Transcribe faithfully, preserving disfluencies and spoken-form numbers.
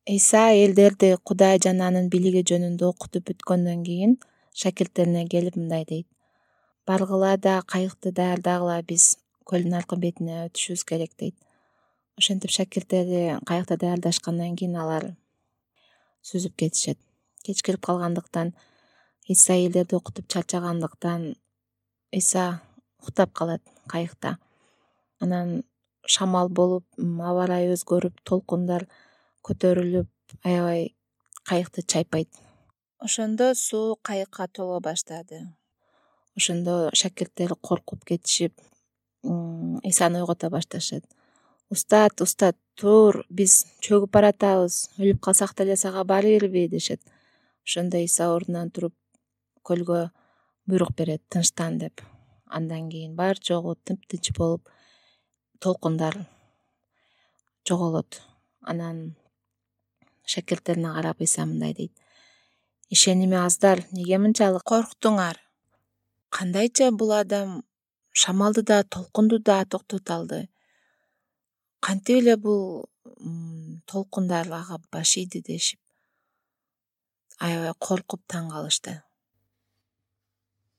Иса элдерди Кудай жана анын бийлиги жөнүндө окутуп бүткөндөн кийин шакирттерине келип мындай дейт: баргыла да кайыкты даярдагыла, биз көлдүн аркы бетине өтүшүбүз керек дейт. Ошентип шакирттери кайыкты даярдашкандан кийин алар сүзүп кетишет. Кеч кирип калгандыктан Иса элдерди окутуп чарчагандыктан Иса уктап калат кайыкта. Анан шамал болуп, аба ырайы өзгөрүп, толкундар көтөрүлүп, аябай кайыкты чайпайт. Ошондо суу кайыкка толо баштады. Ошондо шакирттер коркуп кетишип, Исаны ойгото башташат. Устат, устат, тур, биз чөгүп баратабыз, өлүп калсак деле сага барелби дешет. Ошондо Иса ордунан туруп көлгө буйрук берет: тынчтан деп. Андан кийин бар жогу тыптынч болуп, толкундар жоголот. Анан шакирттерине карап Иса мындай дейт: ишеними аздар, эмне мынчалык корктуңар? Кандайча бул адам шамалды да, толкунду да токтото алды? Кантип эле бул толкундар ага баш ийди дешип, аябай коркуп таң калышты.